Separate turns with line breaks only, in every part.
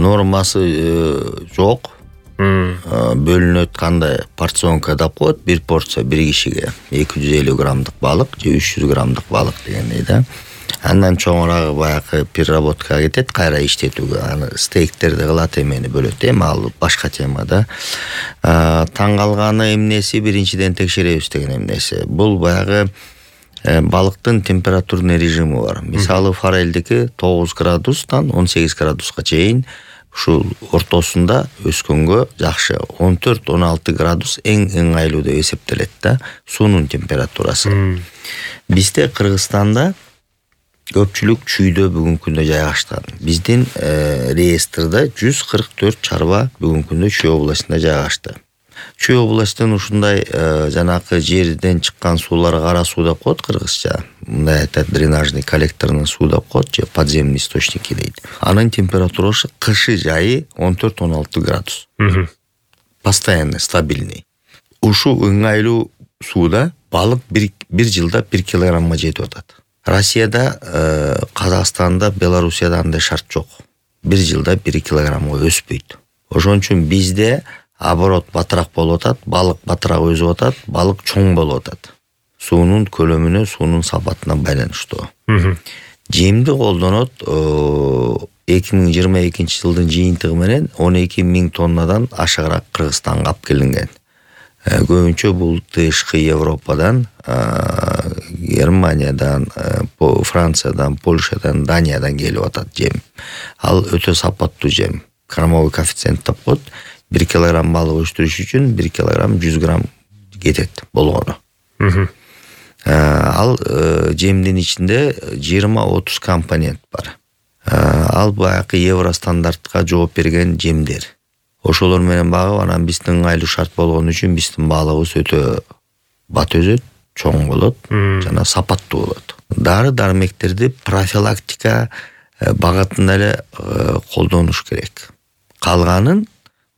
нормасы жок. Бөлүнөт, кандай порционка деп коет, бир порция бир кишиге 250 граммдык балык же 300 граммдык балык дегендей да. Андан чоңурагы баягы переработкага кетет, кайра иштетүүгө. Аны стейктерди кылат, эмени бөлөт. Эми ал башка тема да. Таң калганы эмнеси, биринчиден текшеребиз деген эмнеси. Бул баягы балыктын температурный режими бар. Мисалы форелдики 9 градустан 18 градуска чейин ушул ортосунда өскөнгө жакшы. 14-16 градус эң ыңгайлуу деп эсептелет да, суунун температурасы. Бизде Кыргызстанда көпчүлүк чүйдө бүгүнкү күндө жайгашкан. Биздин реестрде 144 чарба бүгүнкү күндө Чүй областында жайгашты. Чүй областынан ушундай жанакы жерден чыккан суулар кара суу деп коет кыргызча. Мындай айтат, дренажный коллекторунун суу деп коет же подземный источники дейт. Анын температурасы кышы жайы 14-16 градус. Постоянно, стабильный. Ушул ыңгайлуу сууда балык бир жылда 1 килограммга жетип атат. Россияда, Казакстанда, Белоруссияда андай шарт жок. Бир жылда 1 килограммга өспөйт. Ошон үчүн бизде оборот батыраак болуп атат, балык батыраак өсүп атат, балык чоң болуп атат. Суунун көлөмүнө, суунун сапатына байланыштуу. Жемди колдонот 2022 жылдын жыйынтыгы менен 12 000 тоннадан ашыгыраак Кыргызстанга алып келинген. Көбүнчө бул тышкы Европадан, Германиядан, Франциядан, Польшадан, Даниядан келип атат жем. Ал өтө сапаттуу жем. Кормовой коэффициент деп коет. 1 килограмм балык өстүрүш үчүн 1 килограмм 100 грамм кетет болгону. Ал жемдин ичинде 20-30 компонент бар. Ал баягы евро стандартка жооп берген жемдер. Ошолор менен багып, анан биздин ыңгайлуу шарт болгон үчүн биздин балыгыбыз өтө бат өзөт, чоң болот, жана сапаттуу болот. Дары-дармектерди профилактика багытында эле колдонуш керек. Калганын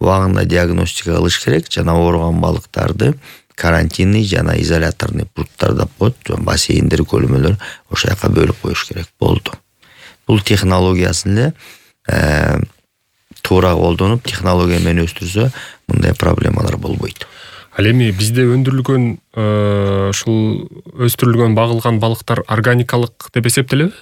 убагында диагностика кылыш керек, жана ооруган балыктарды карантинный жана изоляторный пункттар деп коет, бассейндер, көлмөлөр, ошол жака бөлүп коюш керек. Болду. Бул технологиясын эле туура колдонуп, технология менен өстүрсө, мындай проблемалар болбойт.
Ал эми бизде өндүрүлгөн ушул өстүрүлгөн багылган балыктар органикалык деп эсептелеби?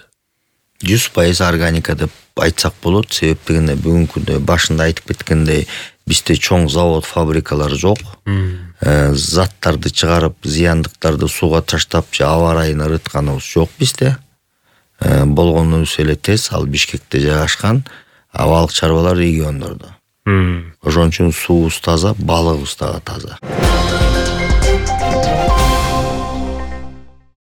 100% органика деп айтсак болот. Себеп дегенде бүгүнкү күндө башында айтып кеткендей, бизде чоң завод, фабрикалар жок. Заттарды чыгарып, зыяндыктарды сууга таштап, же аба райына ырытканыбыз жок бизде. Болгонубуз эле тез, ал Бишкекте жайгашкан, балык чарбалар региондордо. Ошон үчүн суубуз таза, балыгыбыз дагы таза.